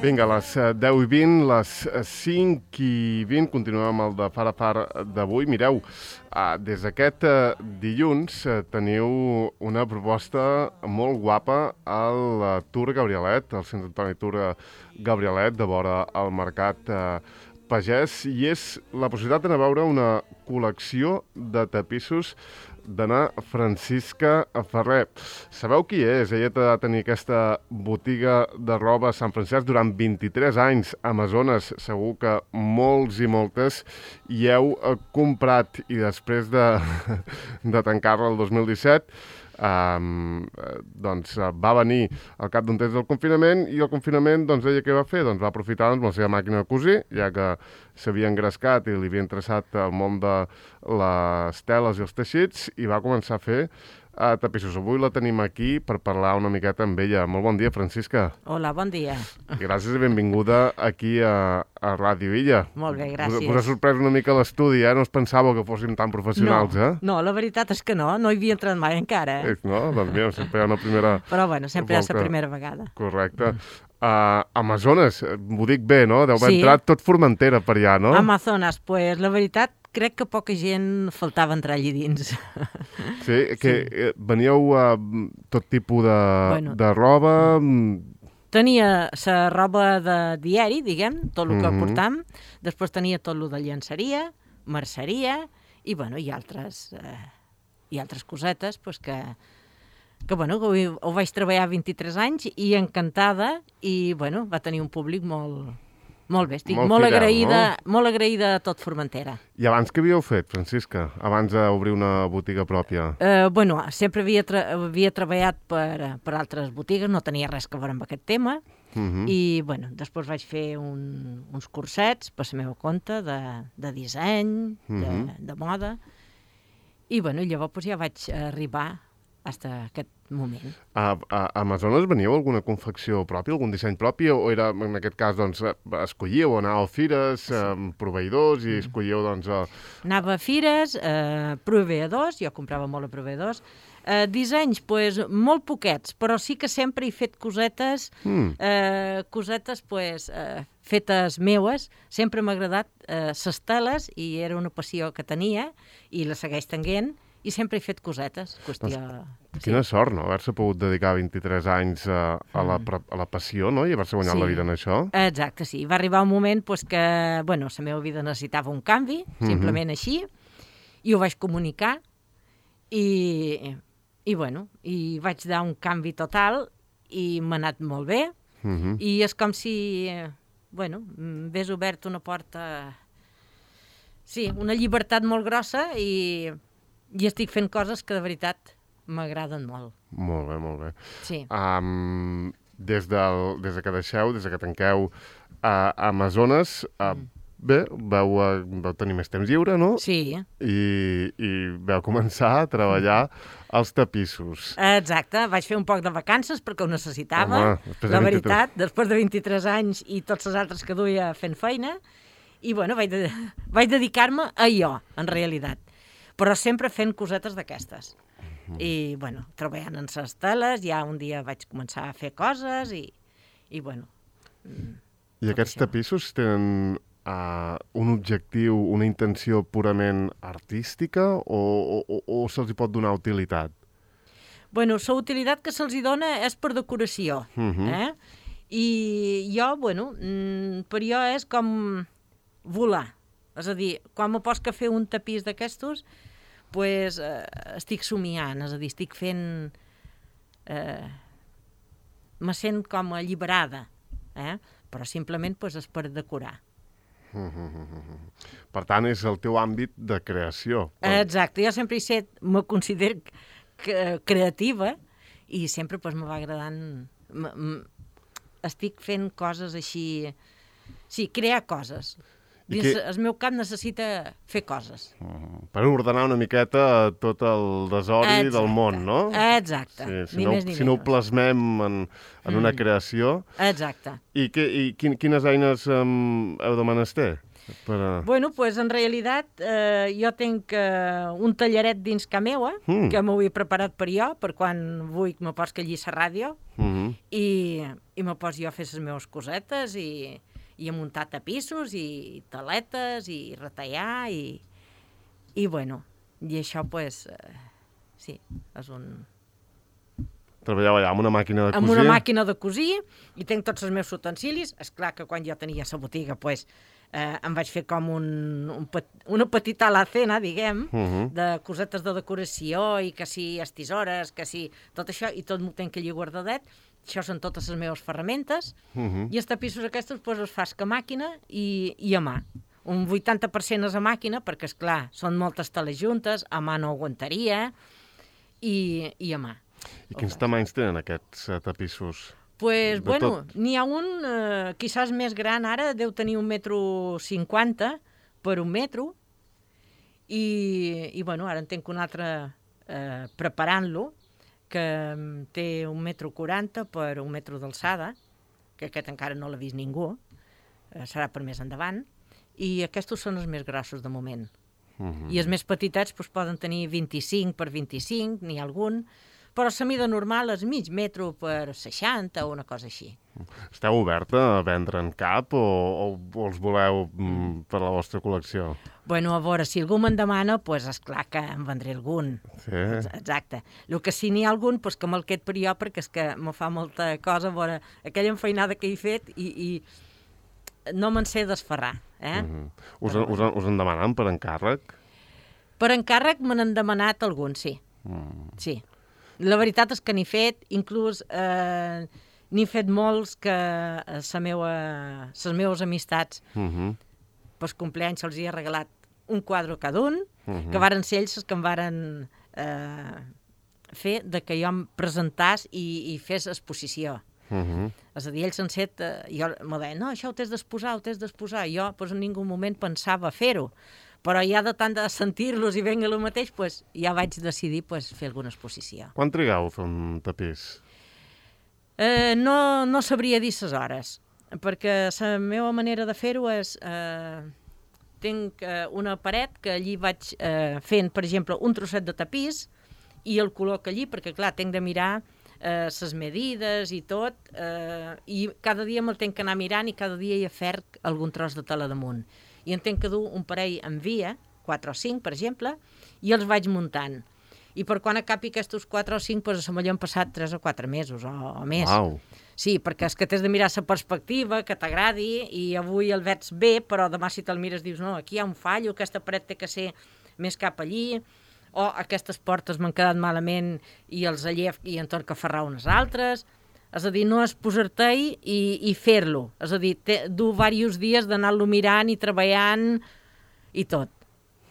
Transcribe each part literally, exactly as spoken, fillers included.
Vinga, les deu i vint, les cinc i vint, continuem amb el de Far a Far d'avui. Mireu, des d'aquest dilluns teniu una proposta molt guapa al Tour Gabrielet, al Centre Antoni Tour Gabrielet, de vora al Mercat Pagès, i és la possibilitat d'anar a veure una col·lecció de tapissos d'Anna Francisca Ferrer. Sabeu qui és? Ella ha de tenir aquesta botiga de roba a Sant Francesc durant vint-i-tres anys. Amazones, segur que molts i moltes hi heu comprat, i després de, de tancar-la el dos mil disset, Um, doncs va venir al cap d'un temps del confinament, i el confinament, doncs, ella què va fer? Doncs va aprofitar doncs, la seva màquina de cosir, ja que s'havia engrescat i li havia interessat el món de les teles i els teixits, i va començar a fer uh, tapissos. Avui la tenim aquí per parlar una miqueta amb ella. Molt bon dia, Francisca. Hola, bon dia. Gràcies i benvinguda aquí a, a Ràdio Illa. Molt bé, gràcies. Us ha sorprès una mica l'estudi, eh? No us pensàveu que fóssim tan professionals, no, eh? No, la veritat és que no, no hi havia entrat mai encara. Eh? No? Doncs mira, sempre hi ha una primera... Però bueno, sempre volta. És la primera vegada. Correcte. Uh, Amazones, ho dic bé, no? Deu haver sí. entrat tot Formentera per allà, no? Amazones, pues la veritat crec que poca gent faltava entrar allí dins. Sí, que sí. Veníeu a uh, tot tipus de, bueno, de roba... Tenia la roba de diari, diguem, tot el que mm-hmm. portam. Després tenia tot el de llenceria, merceria, i, bueno, i altres, eh, i altres cosetes, pues, que, que, bueno, ho, ho vaig treballar vint-i-tres anys i encantada, i, bueno, va tenir un públic molt... Molt bé, estic molt, molt, fidel, agraïda, no? molt agraïda a tot Formentera. I abans què havíeu fet, Francisca? Abans d'obrir una botiga pròpia? Eh, bueno, sempre havia, tra havia treballat per, per altres botigues, no tenia res que veure amb aquest tema, uh-huh. i bueno, després vaig fer un, uns cursets per la meva compte de, de disseny, uh-huh. de, de moda, i bueno, llavors pues, ja vaig arribar fins a aquest moment. A, a Amazones veníeu alguna confecció pròpia, algun disseny propi, o era, en aquest cas, doncs, escollíeu, anàveu a fires, sí. eh, proveïdors, i escollíeu, doncs... A... Anava a fires, eh, proveïdors, jo comprava molt a proveïdors, eh, dissenys, pues, molt poquets, però sí que sempre he fet cosetes, mm. eh, cosetes, pues, eh, fetes meues, sempre m'ha agradat eh, les teles, i era una passió que tenia, i la segueix tenint, i sempre he fet cosetes. Qüestió... Doncs, quina sí. sort, no?, haver-se pogut dedicar vint-i-tres anys a, a, la, a la passió, no?, i haver-se guanyat sí. la vida en això. Exacte, sí. Va arribar un moment pues, que, bueno, la meva vida necessitava un canvi, mm-hmm. simplement així, i ho vaig comunicar, i, i, bueno, i vaig dar un canvi total, i m'ha anat molt bé, mm-hmm. i és com si, bueno, m'hagués obert una porta... Sí, una llibertat molt grossa, i... I estic fent coses que, de veritat, m'agraden molt. Molt bé, molt bé. Sí. Um, des, del, des que deixeu, des que tanqueu a uh, Amazones, uh, mm. bé, vau, uh, vau tenir més temps lliure, no? Sí. I, i vau començar a treballar als tapissos. Exacte. Vaig fer un poc de vacances perquè ho necessitava. Home, la veritat, després de vint-i-tres anys i tots els altres que duia fent feina. I, bueno, vaig, de, vaig dedicar-me a jo, en realitat. Però sempre fent cosetes d'aquestes. Mm. I, bueno, treballant en les teles, ja un dia vaig començar a fer coses i, i bueno... I aquests això. Tapissos tenen uh, un objectiu, una intenció purament artística o, o, o se'ls hi pot donar utilitat? Bueno, la utilitat que se'ls hi dona és per decoració, mm-hmm. eh? I jo, bueno, per jo és com volar. És a dir, quan me pots que fer un tapís d'aquestos, pues, eh, estic somiant, és a dir, estic fent... Eh, me sent com alliberada, eh? Però simplement pues, és per decorar. Mm-hmm. Per tant, és el teu àmbit de creació. Exacte, jo sempre he set, me considero creativa, i sempre pues, me va agradant... M -m estic fent coses així... Sí, crear coses. Dins que... el meu cap necessita fer coses. Uh, per ordenar una miqueta tot el desori Exacte. Del món, no? Exacte, sí, si ni no, més ni si no ho plasmem en, en mm. una creació. Exacte. I, que, i quin, quines eines um, heu de menester? Per a... Bueno, pues en realitat eh, jo tinc eh, un tallaret dins ca meua, Mm. que m'ho he preparat per jo, per quan vull me pots que allí la ràdio, Mhm. i, i me pots jo a fer les meves cosetes, i, i a muntar tapissos, i taletes, i retallar, i, i bueno, i això, pues, eh, sí, és un... Treballeu allà amb una màquina de cosir? Amb una màquina de cosir, i tinc tots els meus utensilis. És clar que quan jo tenia la botiga, pues, eh, em vaig fer com un, un, pet, una petita alacena, diguem, Uh -huh. de cosetes de decoració, i que si les tisores, que si tot això, i tot m'ho tinc allí guardadet. Això són totes les meves ferramentes. Uh -huh. I els tapissos aquests, pues, els fas que a màquina i, i a mà. Un vuitanta per cent és a màquina, perquè, és clar, són moltes teles juntes, a mà no aguantaria, i, i a mà. I quins tamanys tenen aquests uh, tapissos? Pues, De bueno, tot. n'hi ha un, eh, quizás més gran ara, deu tenir un metro cinquanta per un metro, i, i bueno, ara en tinc un altre eh, preparant-lo, que mm, té un metro quaranta per un metro d'alçada, que aquest encara no l'ha vist ningú, eh, serà per més endavant, i aquests són els més grossos de moment. Uh -huh. I els més petitets pues, poden tenir vint-i-cinc per vint-i-cinc, n'hi ha algun, però la mida normal és mig metro per seixanta o una cosa així. Esteu oberta a vendre en cap o, o, o els voleu mm, per la vostra col·lecció? Bueno, a veure, si algú me'n demana, doncs és clar que en vendré algun. Sí. Exacte. El que si n'hi ha algun, doncs que me'l qued per jo, perquè és que me fa molta cosa, a veure, aquella enfeinada que he fet i, i no me'n sé desferrar. Eh? Uh -huh. us, us, us en demanen per encàrrec? Per encàrrec me n'han demanat algun, sí. Mm. Sí. La veritat és que n'he fet, inclús eh, n'he fet molts que les meua, les meves amistats, Uh -huh. pels compleanys se'ls hi ha regalat un quadre cada un, Uh -huh. que varen ser ells els que em varen eh, fer de que jo em presentàs i, i fes exposició. Uh -huh. És a dir, ells han set, eh, jo m'ho deien, no, això ho t'has d'exposar, ho t'has d'exposar. Jo pues, en ningú moment pensava fer-ho, però ja de tant de sentir-los i venga el mateix, pues, ja vaig decidir pues, fer alguna exposició. Quan trigueu a fer un tapís? Eh, no, no sabria dir les hores, perquè la meva manera de fer-ho és... Eh, tinc eh, una paret que allí vaig eh, fent, per exemple, un trosset de tapís i el col·loc allí, perquè, clar, tinc de mirar les eh, medides i tot, eh, i cada dia me'l tinc que anar mirant i cada dia hi aferc algun tros de tela damunt. I en tinc que dur un parell en via, quatre o cinc, per exemple, i els vaig muntant. I per quan acabi aquests quatre o cinc, doncs a millor han passat tres o quatre mesos o, o més. Uau! Sí, perquè és que t'has de mirar la perspectiva, que t'agradi, i avui el veig bé, però demà si te'l mires dius, no, aquí hi ha un fallo, aquesta paret té que ser més cap allí, o aquestes portes m'han quedat malament i els allef i en torn que ferrar unes altres. És a dir, no és posar-te-hi i, i fer-lo. És a dir, té, dur diversos dies d'anar-lo mirant i treballant i tot.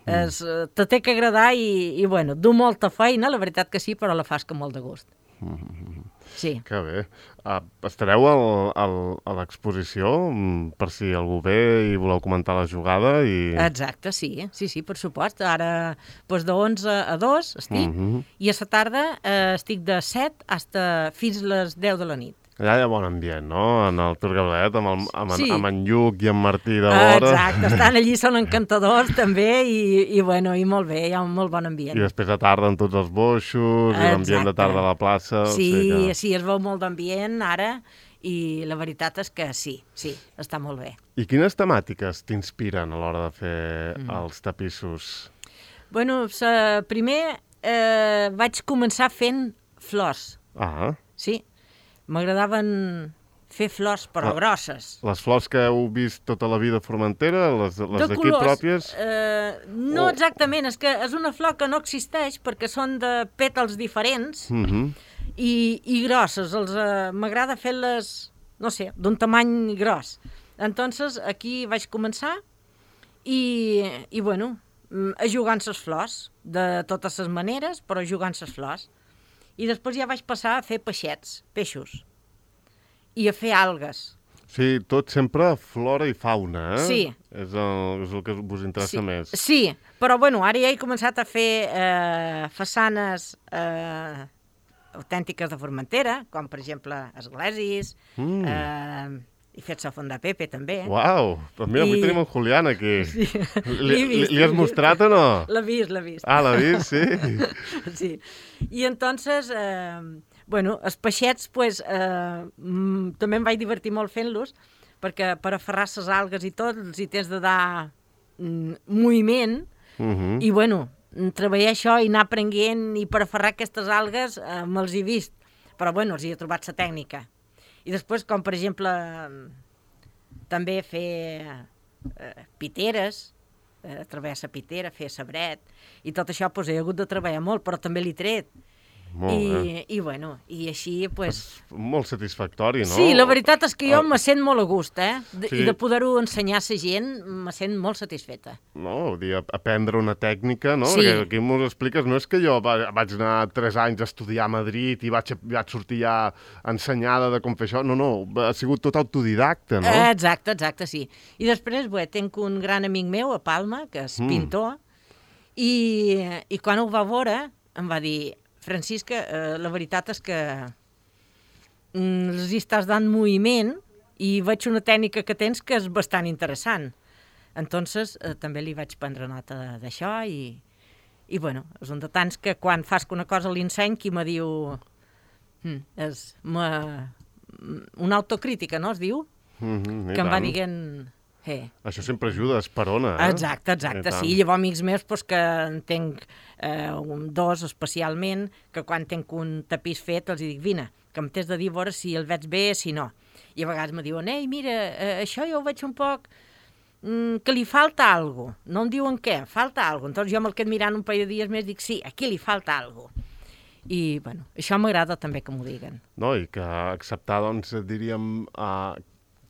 Mm. Es, te té que agradar i, i bueno, du molta feina, la veritat que sí, però la fas com molt de gust. Mm-hmm. Sí. Que bé. Uh, estareu al, al, a l'exposició mm, per si algú ve i voleu comentar la jugada i... Exacte, sí, sí, sí, per supost. Ara, doncs de onze a dos estic, Mm-hmm. i a la tarda eh, estic de set hasta fins les deu de la nit. Allà hi ha bon ambient, no? En el Tor Gabriel, amb, el, amb, Sí. en, amb en Lluc i en Martí de vora. Exacte, estan allí, són encantadors també, i, i bueno, i molt bé, hi ha un molt bon ambient. I després a tarda amb tots els boixos, i l'ambient de Exacte. tarda a la plaça. Sí, o sigui que... sí, es veu molt d'ambient ara, i la veritat és que sí, sí, està molt bé. I quines temàtiques t'inspiren a l'hora de fer mm. els tapissos? Bueno, sa, primer eh, vaig començar fent flors, Ah, sí. M'agradaven fer flors, però Ah. grosses. les flors que heu vist tota la vida a Formentera, les, les De d'aquí colors, pròpies... Eh, no Oh. exactament, és que és una flor que no existeix perquè són de pètals diferents Mm -hmm. i, i grosses. Els, eh, m'agrada fer-les, no sé, d'un tamany gros. Entonces, aquí vaig començar i, i bueno, mm, a jugar amb les flors, de totes les maneres, però jugant amb les flors. I després ja vaig passar a fer peixets, peixos, i a fer algues. Sí, tot sempre flora i fauna, eh? Sí. És el, és el que us interessa Sí, més. sí, però bueno, ara ja he començat a fer eh, façanes eh, autèntiques de Formentera, com per exemple esglésies, Mm. eh, he fet sofon de Pepe, també. Uau! Doncs mira, I... avui tenim en Julián aquí. Sí. Li, li, li has mostrat o no? L'ha vist, l'ha vist. Ah, l'ha vist, sí. Sí. I entonces, eh, bueno, els peixets, pues, eh, mm, també em vaig divertir molt fent-los, perquè per aferrar les algues i tot, els hi tens de dar mm, moviment, uh -huh. i bueno, treballar això i anar aprenent, i per aferrar aquestes algues eh, me'ls he vist, però bueno, els hi he trobat la tècnica. I després, com per exemple, també fer eh, piteres, eh, treballar la pitera, fer sabret, i tot això pues, he hagut de treballar molt, però també l'he tret. Molt I, bé. I, bueno, i així, pues... Molt satisfactori, no? Sí, la veritat és que jo me sent molt a gust, eh? De, Sí. I de poder-ho ensenyar a la gent, me sent molt satisfeta. No, vull dir, aprendre una tècnica, no? Sí. Perquè aquí m'ho expliques, no és que jo va, vaig anar tres anys a estudiar a Madrid i vaig, vaig sortir ja ensenyada de com fer això, no, no, ha sigut tot autodidacta, no? Eh, exacte, exacte, sí. I després, bé, tenc un gran amic meu a Palma, que és Mm. pintor, i, i quan ho va veure em va dir: Francisca, eh, la veritat és que mm, els hi estàs dant moviment i veig una tècnica que tens que és bastant interessant. Entonces, eh, també li vaig prendre nota d'això i, i bueno, és un de tants que quan fas una cosa a l'enseny, qui me diu... Mm, és ma, una autocrítica, no, es diu? Mm-hmm, Que em va dient... Hey. Això sempre ajuda, esperona, eh? Exacte, exacte, sí. Llavors, amics meus, pues, que en tenc eh, un, dos especialment, que quan tenc un tapís fet els dic, vine, que em tens de dir a veure si el veig bé, si no. I a vegades me diuen, ei, mira, eh, això jo ho veig un poc mm, que li falta alguna cosa. No em diuen què, falta alguna cosa. Entonces jo me'l quedo mirant un parell de dies més i dic, sí, aquí li falta alguna cosa. I, bueno, això m'agrada també que m'ho diguen. No, i que acceptar, doncs, diríem, uh,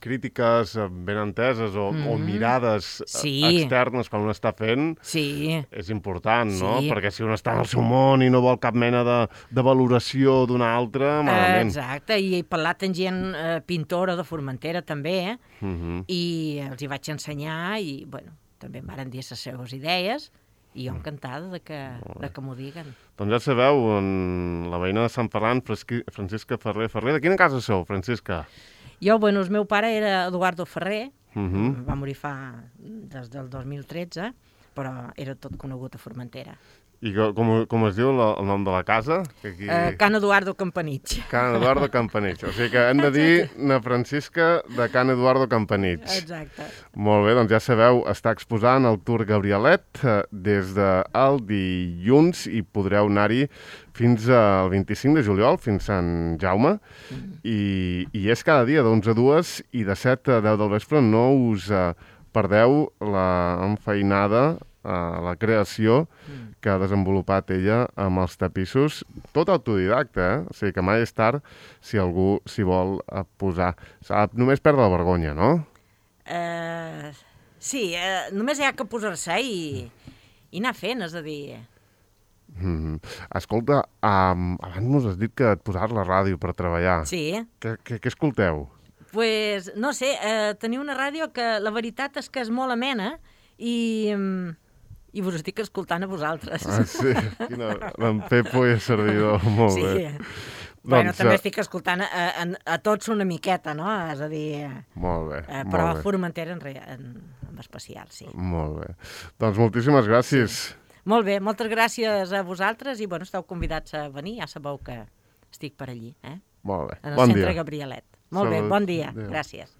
crítiques ben enteses o, mm-hmm. o mirades sí. externes quan un està fent, sí. és important, no? Sí. Perquè si un està en el seu món i no vol cap mena de, de valoració d'una altra, malament. Exacte, i he parlat amb gent eh, pintora de Formentera també, eh? Mm-hmm. I els hi vaig ensenyar i, bueno, també em van dir les seves idees i jo encantada de que, de que m'ho diguen. Doncs ja sabeu, en la veïna de Sant Ferran, Francisca Ferrer Ferrer. De quina casa sou, Francisca? Jo, bueno, el meu pare era Eduardo Ferrer, uh-huh. va morir fa des del dos mil tretze, però era tot conegut a Formentera. I com, com es diu la, el nom de la casa? Que aquí... uh, Can Eduardo Campanich. Can Eduardo Campanich. O sigui que hem de dir na Francisca de Can Eduardo Campanich. Exacte. Molt bé, doncs ja sabeu, està exposant el Tour Gabrielet eh, des del dilluns i podreu anar-hi fins al vint-i-cinc de juliol, fins Sant Jaume, mm. i, i és cada dia d'onze a dues i de set a deu del vespre. No us eh, perdeu la enfeinada, eh, la creació mm. que ha desenvolupat ella amb els tapissos, tot autodidacte, eh? O sigui que mai és tard si algú s'hi vol posar. Només perdre la vergonya, no? Uh, sí, uh, només hi ha que posar-se i, i anar fent, és a dir... Mm. Escolta, um, abans mos has dit que et posaves la ràdio per treballar. Sí. Què, què, què escolteu? Pues, no sé, eh, teniu una ràdio que la veritat és que és molt amena i, i vos estic escoltant a vosaltres. Ah, sí? Quina... En Pepo i a Servidor, molt sí. bé. Bueno, doncs, també estic escoltant a, a, a tots una miqueta, no? És a dir... Molt bé, eh, però molt bé. Formentera en, en, en especial, sí. Molt bé. Doncs moltíssimes gràcies. Sí. Molt bé, moltes gràcies a vosaltres i, bueno, esteu convidats a venir, ja sabeu que estic per allí, eh? Molt bé, en el bon Centre dia. Gabrielet. Molt Salut. Bé, bon dia, Adéu. Gràcies.